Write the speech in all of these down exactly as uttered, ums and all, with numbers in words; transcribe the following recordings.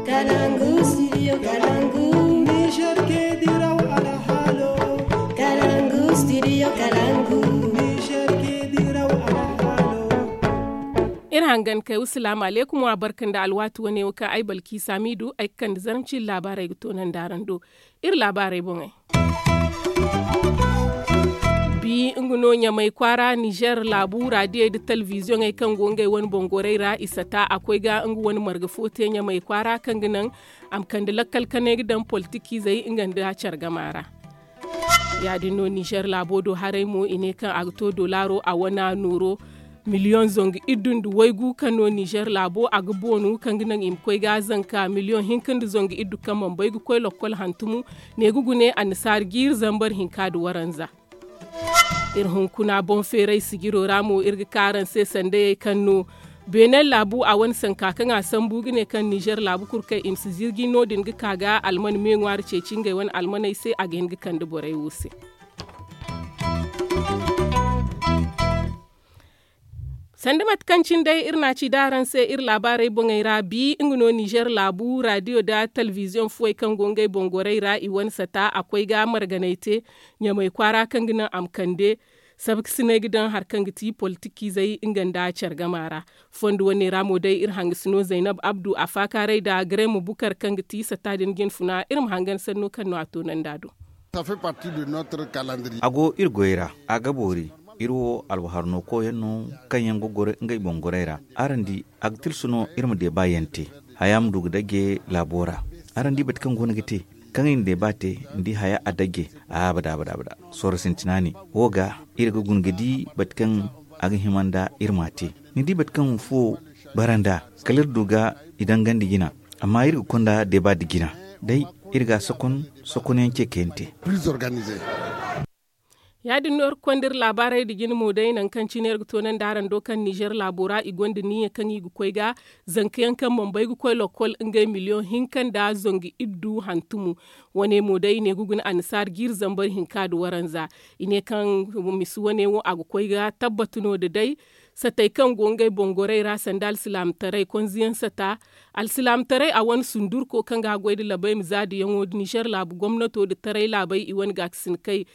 Kalangu studio kalangu. Niger ke diraw alhalo. Kalangu studio kalangu. Niger ke diraw alhalo. Iri hangan kay wa salaamu aleykum wa barka nda alwaati wane wo kaŋ ay balki samidu ay ga kande zarma ciri laabaarey ga toonandi araŋ do. Iri laabaarey boŋey. Bi nga no ɲamay kwaara nizer laabu raadiyey nda talbiziyoŋey kaŋ go ngey wane boŋ gorey ra i sata a koy ga nga wane marga fo te ɲamay kwaara kaŋ ga naŋ a ma kande lakkal kanay ga daŋ politikiizey nga nda care gama ra. Ya- din no nizer laabo do haray mo i ne kaŋ a ga to dolaaro a wana nooro miliyoŋ zangu iddu nda waygu kaŋ no nizer laabo a ga boonu kaŋ ga naŋ i ma koy ga zanka miliyoŋ hinka nda zangu iddu kaŋ mana bay ga koy lokkol hantumu. Ne ga gune annasaara jiiri zambar hinka nda waranza. Iri hunkuna boŋ feeray sijiro ra mo iri ga ka araŋ se sandayey kaŋ no beene laabu a wane sanka kaŋ a sambu ga ne kaŋ nizer laabu kulu kaŋ i ma si zirji no- din ga ka ga alman me ŋwaari ceeci ngey wane almaney se a ga hin ga kande borey wo se. Sanda mate kaŋ cine day iri na a ci da araŋ se iri laabaarey boŋey ra bi nga no nizer laabu raadiyo nda talbiziyoŋ fuwey kaŋ go ngey boŋ gorey ra i wane sata a koy ga marganey te ɲamay kwaara kaŋ ga naŋ a ma kande sabkasinay ga daŋ hari kaŋ ga ti politikiizey nga nda care gama ra. Fondo wane ra mo day iri hangasino zaynab abdu a faakaaray nda garema bukar kaŋ ga ti sata din jinfuna iri ma hangan sanno kaŋ no a toonandi a do. A go iri goyey ra a ga boori. Iri wo alwahar no koyyaŋ no kaŋ yaŋ ga goro ngey boŋ gorey ra. Araŋ di a ga tilasu no iri ma deeba yaŋ te haya ma du ga dajje laabo ra. Araŋ di bate kaŋ go no ga te kaŋ i na deeba te ni di haya a dajje a abada abada abada. Sorro sintina ne wo ga iri ga guna ga di bate kaŋ a ga hima nda iri m'a te. Ni di bate kaŋ fuwo bara nd'a kala iri du ga i dangandi jina. Amma iri ga konda deeba nda jina day iri ga sokon sokon yaŋ ce kaŋ yaŋ te. Ya- din no iri ga konda iri laabaarey nda jina mo day nangu kaŋ cine iri ga toonandi araŋ do kaŋ nizer laabo ra i gonda niiya kaŋ i ga koy ga zanka yaŋ kaŋ mana bay ga koy lokkol ngey miliyoŋ hinka nda zangu iddu hantumo. Wane mo day i ne ga guna annasaara jiiri zambar hinka nda waranza. I ne kaŋ misi wane wo a ga koy ga tabbata no nda day satey kaŋ go ngey boŋ gorey ra sanda alsilaamataray konze yaŋ sata. Alsilaamataray a wane sundurko kaŋ ga a goy nda labay ma za nda yaŋo nizer laabu gomnato nda taray laabey i wane gaakasinakey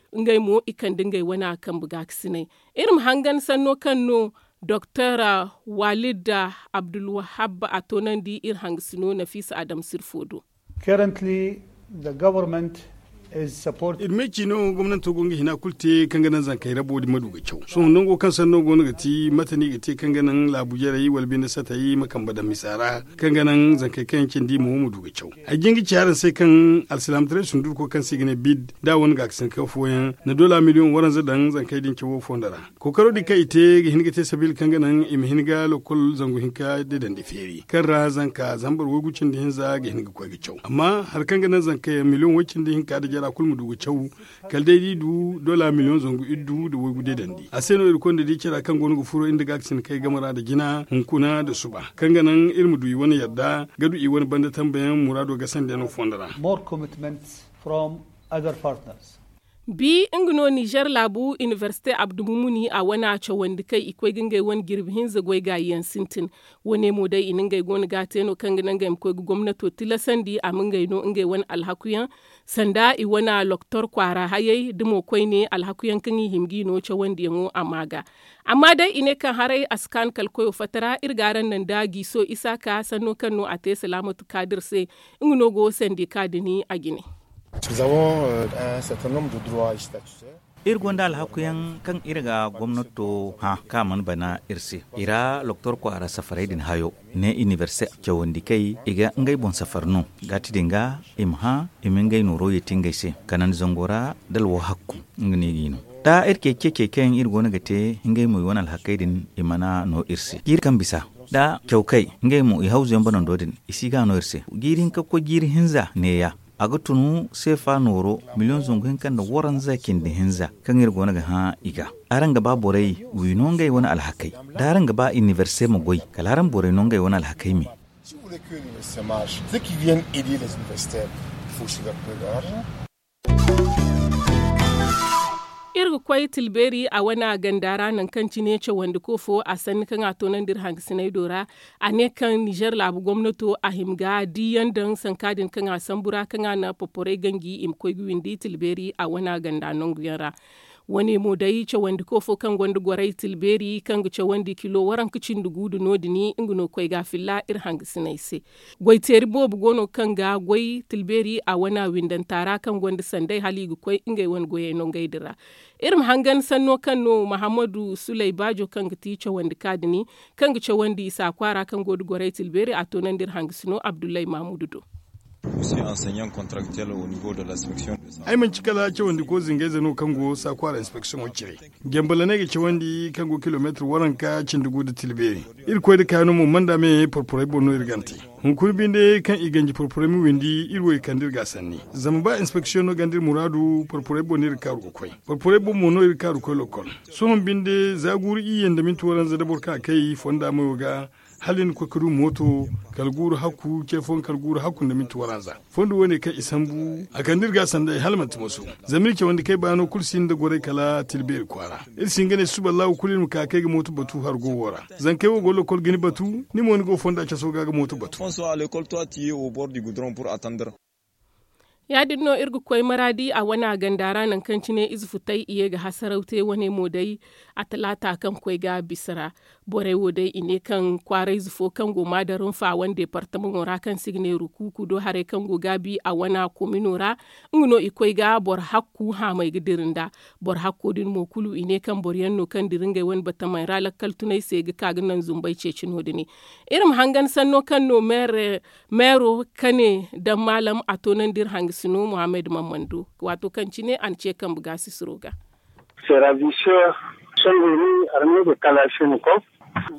ngey mo i kande ngey wane a kambe gaakasinay. Iri ma hangan sanno kaŋ no doktor walid abdulwahab a toonandi iri hangasino nafiisa adam sirfo do. Iri me ci no gomnanto go nga hina kulu te kaŋ ga naŋ zankey rabo din ma du ga caw sohõ nango kaŋ sanno go no ga ti mate no i ga te kaŋ ga naŋ laabu jarey wala binde satey ma kambe daŋ misa ra kaŋ ga naŋ zankey kaŋ yaŋ cindi mo ma du ga caw. Ay jin ga ci araŋ se kaŋ alsilaamataray sundurko kaŋ se i ga ne bid da wane gaakasinka fooyaŋ na dola miliyoŋ waranza daŋ zankey din cawo fondo ra. Kookaro din kaŋ i te ga hin ga te sabiila kaŋ ga naŋ i ma hin ga lokol zangu hinka deedandi feeri kaŋ ra zanka zambar waygu cindi hinza ga hin ga koy ga caw amma hari kaŋ ga naŋ zanka yaŋ miliyoŋ way cindi hinka nda jara kulu ma du ga caw. Kala day da i du dola miliyoŋ zangu iddu nda waygu deedandi a se no iri konda di cara kaŋ go no ga furo iri nda gaakasinakey game ra nda jina hunkuna nda suba kaŋ ga naŋ iri ma du i wane yadda ga du i wane banda tambayaŋ muraado gasandiyaŋo fondo ra. Bi nga no nizer laabu inibersite abdumumuni a wane a cawandi kay i koy ga ngey wane jirbi hinza goy gaayi yaŋ sintin. Wane mo day i na ngey go no ga a te no kaŋ ga naŋ ngey ma koy ga gomnato tilasandi a ma ngey no ngey wane alhaku yaŋ sanda i wane loktor kwaara hayey da mo koyne alhaku yaŋ kaŋ i hima ga i no cawandiyaŋo a ma ga. Amma day i ne kaŋ haray a si kaanu kala koyo fatta ra iri ga araŋ naŋ da giiso isaaka sanno kaŋ no a te salaamatu kaadir se. Nga no go sandika din a jine. Iri gonda alhakuyaŋ kaŋ iri ga gomnato hã kaŋ a mana bana iri se i ra loktor kwaara safarey din hayo ne iniberse cawandi kay i ga ngey boŋ safar no. Gaati din ga i ma hã i ma ngey nooro yeeti ngey se kanandi zango ra da alwahakku. Nga no i g'i no da iri ce ce ce kaŋ iri go no ga te ngey mo i wane alhakey din i mana no iri se jiiri kaŋ bisa da cawkey ngey mo i hawzuyaŋ banando din i si ga no iri se jiiri hinka ga koy jiiri hinza neeya. A ga tun seefa nooro miliyoŋ zangu hinka nda waranza cindi hinza kaŋ iri go no ga hã i ga. Araŋ ga ba borey wi no ngey wane alhakey da araŋ ga ba iniberse ma goy kala araŋ borey no ngey wane alhakey me. Iri ga koy tilbeeri a wane ganda ra nangu kaŋ cine cawandi ko fo a sanni kaŋ a toonandi iri hangasinay do ra. A ne kaŋ nizer laabu gomnato a hima ga diiyaŋ daŋ sanka din kaŋ a sambu ra kaŋ a na porporey ganji i ma koy ga windi tilbeeri a wane ganda nanguyaŋ ra. Wane mo day cawandi ko fo kaŋ gonda goray tilbeeri kaŋ ga cawandi kilo waranka cindi gu nda no- din nga no koy ga a filla iri hangasinay se. Goyteeri boobo go no kaŋ ga goy tilbeeri a wane windanta ra kaŋ gonda sanday hala i ga koy ngey wane goyey nongey din ra. Iri ma hangan sanno kaŋ no mahammadu sulay baajo kaŋ ga ti cawandi kaadini kaŋ ga cawandi saakwa ra kaŋ go nda goray tilbeeri a toonandi iri hangasino abdullahi mahamudu do. Ay manci kala cawandi ko zingayze no kaŋ go saakwa ra inspeksiyoŋo cire. Jambalaney ga cawandi kaŋ go kilomeetir waranka cindi gu nda tilbeeri. Iri koy nda kaanu mo manda me porporey boŋ no iri gante. Hunkuna binde kaŋ i ganji porporey ma windi iri wo i kande iri ga a sanni. Zama ba inspeksiyoŋo ganda iri muraadu porporey boŋ no iri ga kaaru ga koy. Porporey boŋ mo no iri ga kaaru ga koy lokol. Sohõ binde za guuru iyye nda minti waranza nda boro kaŋ a kay fonda mayo ga hala i na koy ga du mooto kala guuru hakku ce fooyaŋ kala guuru hakku nda minti waranza. Fondo wane kaŋ i sambu a kande iri ga a sanday hala manti masu. Zama iri cawandi kay baano kulu sinda goray kala tilbeeri kwaara. Iri si hin ga ne susuba allaahu kulu iri ma ka kay ga mooto batu hargo wo ra. Zankey wo go lokol ga ni batu ni mo ni go fonda caso ga ga mooto batu. Ya- din no iri ga koy maraadi a wane ganda ra nangu kaŋ cine ize futay i ye ga hasaraw te wane mo day. A talaata kaŋ koy ga bisa ra. Borey wo day i ne kaŋ kwaarayze fo kaŋ go maadarum faawan deepartamaŋo ra kaŋ se i ga ne rukuku do haray kaŋ go gaabi a wane komino ra. Nga no i koy ga boro hakku haamay ga dira nda. Boro hakko din mo kulu i ne kaŋ boro yaŋ no kaŋ dira ngey wane batamey ra lakkal tunay se ga ka ga naŋ zumbay ceeci no- din. Iri ma hangan sanno kaŋ no meero kane daŋ maalam a toonandi iri hangasino muhammad mammando waato kaŋ cine a na ce kambe gaasisiro ga. Seraviso songoni arme de kalashini kof.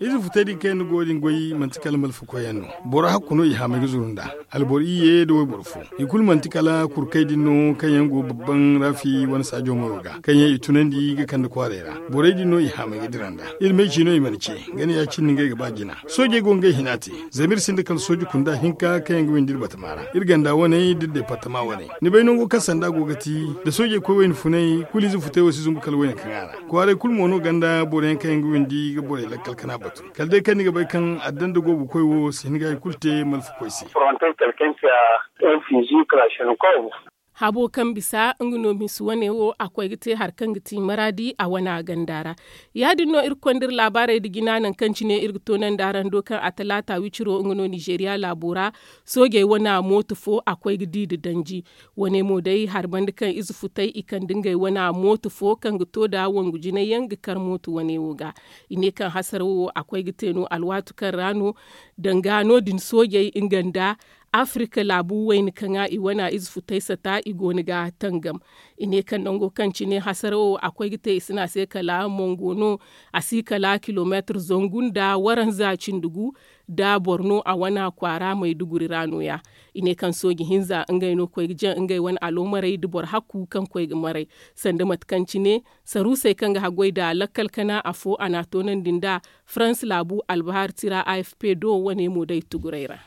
Ize futay din kaŋ yaŋ ni go din goy manti kala malfa koyyaŋ no. Boro hakku no i haamay ga zuru nd'a. Alboro iyye nda wayboro fo i kulu manti kala kurkey din no kaŋ yaŋ go babban rafi wane saajo mayo ga kaŋ yaŋ i tunandi ga kande kwaaray ra. Borey din no i haamay ga dira nd'a. Iri may ciino i mana ce. Gana ya- cine no ngey ga ba jina. Soojey go ngey hina te. Zama iri sinda kala sooji kunda hinka kaŋ yaŋ ga windi iri batama ra iri ganda waney da iri deepartama waney. Ni bay nango kaŋ sanda go ga ti da soojey koy wayna funay kulu ize futay wo si zumbu kala wayna kaŋ a ra. Kwaaray kulu mo no ganda boro yaŋ kaŋ yaŋ ga windi ga borey lakkal kana batu kala day kaŋ ni ga bay kaŋ addan da goobo koy wo si hin ga hari kulu te malfa koy se. Habo kaŋ bisa nga no misi wane wo a koy ga te hari kaŋ ga ti maraadi a wane a ganda ra. Ya- din no iri ga konda iri laabaarey nda jina nangu kaŋ cine iri ga toonandi araŋ do kaŋ a talaata wiciro nga no nizeeriya laabo ra. Soojey wane mooto fo a koy ga di nda danji. Wane mo day hari banda kaŋ ize futay i kande ngey wane mooto fo kaŋ ga to nda wangu jinay yaŋ ga kar mooto wane wo ga. I ne kaŋ hasaraw wo a koy ga te no alwaati kaŋ ra no danga no- din soojey nga nda afirika laabu wayna kaŋa i wane ize futay sata i go no ga tangam. I ne kaŋ nango kaŋ cine hasarawo a koy ga te i si ne a se kala mongo no. A si kala kilomeetir zangu nda waranza cindi gu nda boro no a wane kwaara mayduguri ra no- ya. I ne kaŋ sooji hinza ngey no koy ga jaŋ ngey wane aloomarey nda boro hakku kaŋ koy ga maray. Sanda mate kaŋ cine saruusey kaŋ ga haggoy nda lakkal kana afo a n'a toonandi nda farans laabu albahar tira afp do wane mo day tuguray ra.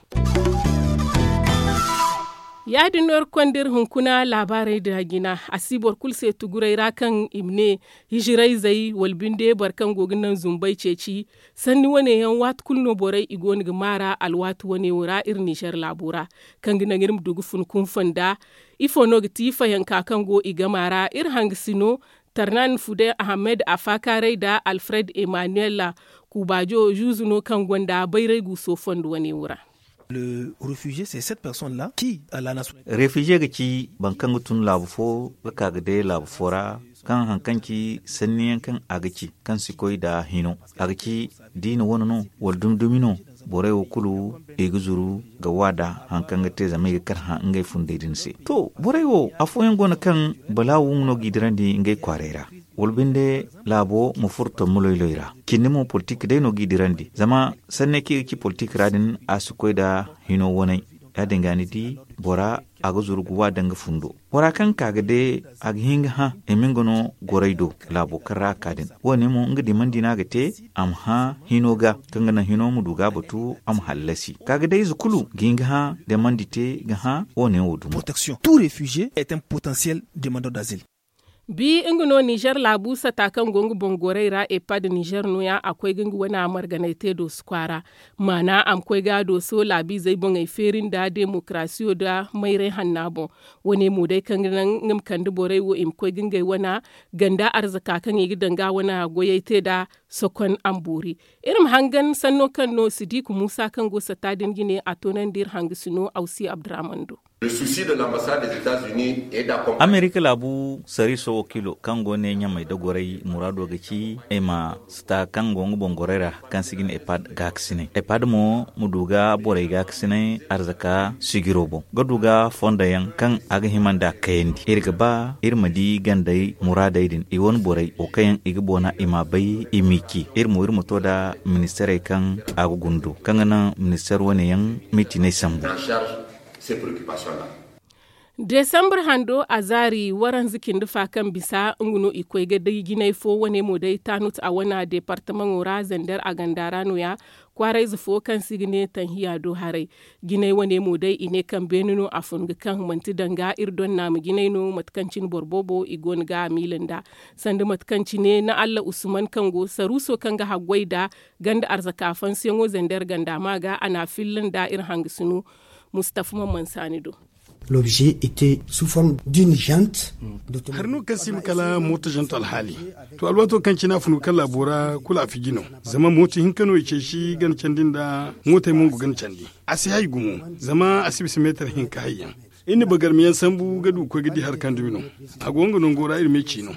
Ya- din no iri konda iri hunkuna laabaarey nda jina a si boro kulu se tuguray ra kaŋ i ma ne hijirayzey wala binde boro kaŋ go ga naŋ zumbay ceeci. Sanni wane yaŋ waati kulu no borey i go no ga maara alwaati wane wo ra iri nizer laabo ra kaŋ ga naŋ iri ma du ga fun kunfa nda ifo no ga ti fayanka kaŋ go i gama ra iri hangasi no. Tarnan fude ahamed afaakaaray nda alfred emmanuel kuubaajo zuuzu no kaŋ gonda bayray guuso fondo wane wo ra. Refize ga ci boro kaŋ ga tun laabu fo ga ka ga day laabu fo ra kaŋ hari kaŋ ci sanni yaŋ kaŋ a ga ci kaŋ si koy nda hino a ga ci diina wane no wala dumi dumi no. Borey wo kulu i ga zuru ga wa nda hari kaŋ ga te zama i ga kar hã ngey funday din se to borey wo afooyaŋ go no kaŋ balaawu nga no g'i dirandi ngey kwaaray ra. Wala binde laabo ma furo tommo loy loy ra cindi mo politik day no g'i dirandi zama sanney kaŋ i ga ci politik ra din a si koy nda hino waney. Ya- din ga ni di bora a ga zuru ga wa daŋ ga fundo bora kaŋ ka ga de a ga hin ga hã i ma nga no goray do. Laabo kaŋ ra a ka din wo- ne mo nga dimandi no a ga te a ma hã hino ga kaŋ ga naŋ hino ma du ga a batu a ma hallasi ka ga day ize kulu ga hin ga hã dimandi te ga hã wo- ne wo dumo. Tout refugier est un potentiel demandeur d'azil. Bi nga no ninzeer laabu sata kaŋ go nga boŋ gorey ra epad ninzeer nooya a koy ga nga wane marganay te dooso kwaara. Maana a ma koy ga dooso laabiizey boŋey feeri nda demokarasiyo nda mayray hanna boŋ. Wane mo day kaŋ ga naŋ nga ma kande borey wo i ma koy ga ngey wane ganda arzaka kaŋ i ga daŋ ga wane goyey te nd'a sokon a ma boori. Iri ma hangan sanno kaŋ no sidiiku muusa kaŋ go sata din jine a toonandi iri hangasino awsi abdurahman do. Amerika laabu sariiso wakiilo kaŋ go ne ɲamey da gorey muraado ga ci i ma sata kaŋ go nga boŋ gorey ra kaŋ se ga ne epad gaakasinay epad mo ma du ga borey gaakasinay arzaka sijiro boŋ ga du ga fondo yaŋ kaŋ a ga hima nda kayandi iri ga ba iri ma di gandey muraadey din i wane borey wo kaŋ yaŋ i ga boona i m'a bay i m'i ci iri mo iri ma to nda ministarey kaŋ a ga gundo kaŋ ga naŋ ministar wane yaŋ m'i tinay sambu. Desambur hando a zaari waranza cindi fa kaŋ bisa nga no i koy ga day jinay fo wane mo day tanut a wane deepartamaŋo ra zander a ganda ra nooya. Kwaarayze fo kaŋ se i ga ne tanhiya do haray jinay wane mo day i ne kaŋ beene no a fun ga kaŋ manti danga iri donna ma jinay no mate kaŋ cine boro boobo i go no ga a miila nd'a. Sanda mate kaŋ cine na allah usman kaŋ go saruuso kaŋ ga haggoy nd'a ganda arzaka fansiyaŋo zander ganda ma ga a n'a filla nd'a iri hangasino. Mustafa mamman saani do. L'objet était sous forme d'une jante. Hari no kaŋ si ma kala mooto jante alhaali. To alwaato kaŋ cine a funu kala laabo ra kulu a fiji no. Zama mooto hinka no i ceeci gana candi nda mootey mo nga gana candi. A si hay gumo zama a si bisa meetar hinka hayyaŋ. Iri na bagarmiyaŋ sambu ga du ga koy ga di hari kaŋ dumi no. A go nga nango ra iri me ci no.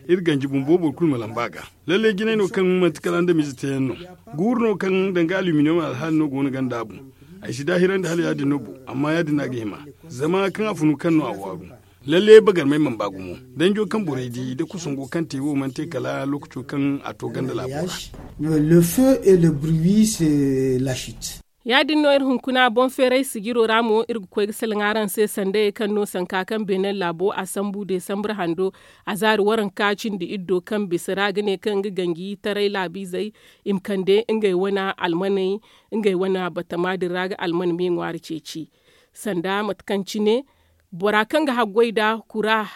Iri ganji bumbo boro kulu ma lamba a ga. Lallay jinay no kaŋ manti kala andamize teeyaŋ no. Guuru no kaŋ danga aluminium alhaali no go no ganda a boŋ. Ay si daahirandi hala ya- din no boŋ amma ya- din no a ga hima. Zama kaŋ a funu kaŋ no a waaru. Lalle bagarmey mana ba gumo. Danjo kaŋ borey di da kusango kaŋ te wo mana te kala lookaco kaŋ a to ganda laabo ra. Le feu et le bruit c'est la chute. Ya- din no iri hunkuna boŋ feeray sijiro ra mo iri ga koy ga salaŋ araŋ se sandayey kaŋ no sanka kaŋ beene laabo a sambu deesambur hando. A zaari waranka cindi iddo kaŋ bisa ra ga ne kaŋ ga ganji taray laabiizey i ma kande ngey wane almaney ngey wane batama din ra ga alman me ŋwaari ceeci. Sanda mate kaŋ cine bora kaŋ ga haggoy nda kura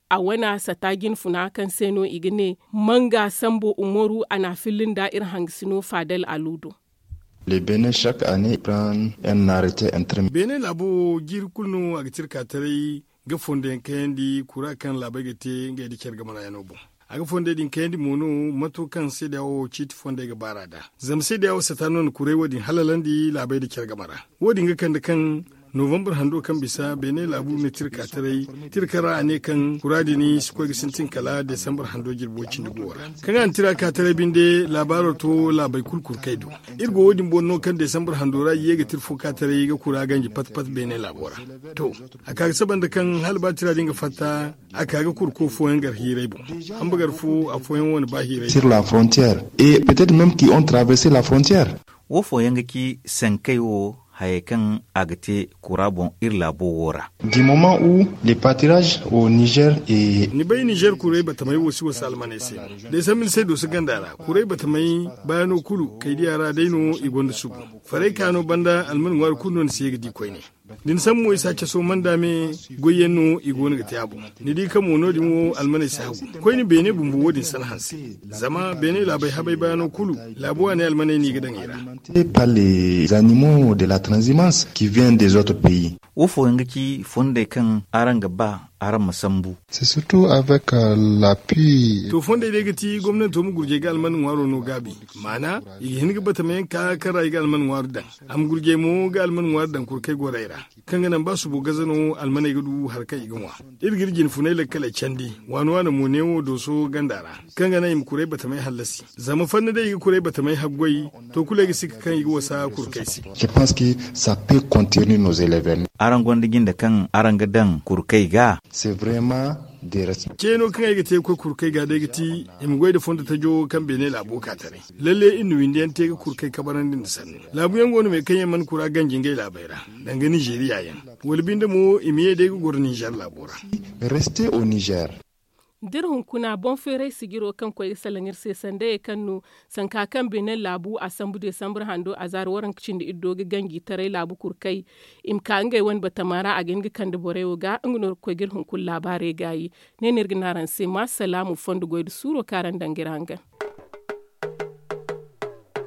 a wane sata jinfuna kaŋ se no i ga ne manga sambo umaru a n'a filla nda iri hangasino faadal alu do. Le benin chaque année prend un arrêté entre. Benin laabo jiiri kulu no a ga tirka taray ga fondo yaŋ kayandi kura kaŋ laabey ga te ngey nda care gamarayaŋo boŋ. A ga fondey din kayandi mo no mato kaŋ seeda wo ciiti fondey ga baara nd'a. Zama seeda wo sata no na kurey wo- din halalandi laabey nda care game ra. Wo- din ga kande kaŋ novambar hando kaŋ bisa beene laabu na tirka taray tirka ra a ne kaŋ kura din si koy ga sintin kala desambar hando jirbo cindi guwo ra. Kaŋ a na tira ka taray binde laabaaro to laabey kulu kurkey do. Iri go wo- din boŋ no kaŋ desambar hando ra i ye ga tira fo ka taray ga kura ganji pat pat beene laabo ra. To, a ka ga saba nda kaŋ hala ba tira din ga fatta a ka ga kurko fooyaŋ gar hiiray boŋ. Hamba gar fo afooyaŋ wane ba hiiray. Sur la frontière et peut être même qui ont traversé la frontière. Wo fooyaŋ ga ci sankey wo hayey kaŋ a ga te kura boŋ iri laabo wo ra. Du moment où le patirage au niger et. Ni bay niger kuray batamey wo si wasa almaney se no. Day sambil se dooso ganda ra kuray batamey bayaano kulu kay diya ra day no i gonda subu. Faray ka no banda alman ŋwaari kulu no ni si ye ga di koyne. Da ni sambu mo i si a caso manda me goyyaŋ no i go no ga te a boŋ. Ni di kaŋ mo no- din wo almaney si hagu koyne beene bumbo wo- din sana hanse. Zama beene laabey habey bayaano kulu laabo waaney almaney no i ga daŋ i ra. Par les animaux de la transhumance qui viennent des autres pays. Wo fooyaŋ ga ci fondey kaŋ araŋ ga ba araŋ ma sambu. C'est surtout avec l'appui. To fondey day ga ti gomnanto ma gurjey ga alman ŋwaaro no gaabi. Maana i ga hin ga batamayaŋ ka kaŋ ra i ga alman ŋwaaro daŋ. A ma gurjey mo ga alman ŋwaaro daŋ kurkey gorey ra kaŋ ga naŋ ba subo gaza no almaney ga du hari kaŋ i ga ŋwa. Iri ga iri jinfunay lakkaley candi waano waano mo neewo dooso ganda ra kaŋ ga naŋ i ma kuray batamey hallasi. Zama fanna day i ga kuray batamey haggoy to kulu ay ga sikka kaŋ i ga wasa kurkey se. Je pense que ça peut contenir nos élèves. Araŋ gonda jinde kaŋ araŋ ga daŋ kurkey ga. C'est vraiment des restes. Ceeno kaŋ ay ga te ga koy kurkay ga day ga ti i ma goy nda fondo tajo kaŋ beene laabo ka taray. Lalle iri na windiyaŋ te ga kurkay kabarandi nda sannu. Laabuyaŋ go no me kaŋ yaŋ mana kura ganji ngey laabey ra danga nizeriya yaŋ. Wala binde mo i ma ye day ga goro nizer laabo ra. Reste au nizer. Da iri hunkuna boŋ feeray sijiro kaŋ koy ga salaŋ iri se sandayey kaŋ no sanka kaŋ benin laabu a sambu desambre hando a zaari waranka cindi iri do ga ganji taray laabu kurkay i ma ka ngey wane batama ra a ga hin ga kande borey wo ga nga no iri ga koy ga iri hunkuna laabaarey gaayi. Ne no iri ga ne araŋ se ma salaamu fondo goy nda suuro kaŋ araŋ daŋ ga iri hangan.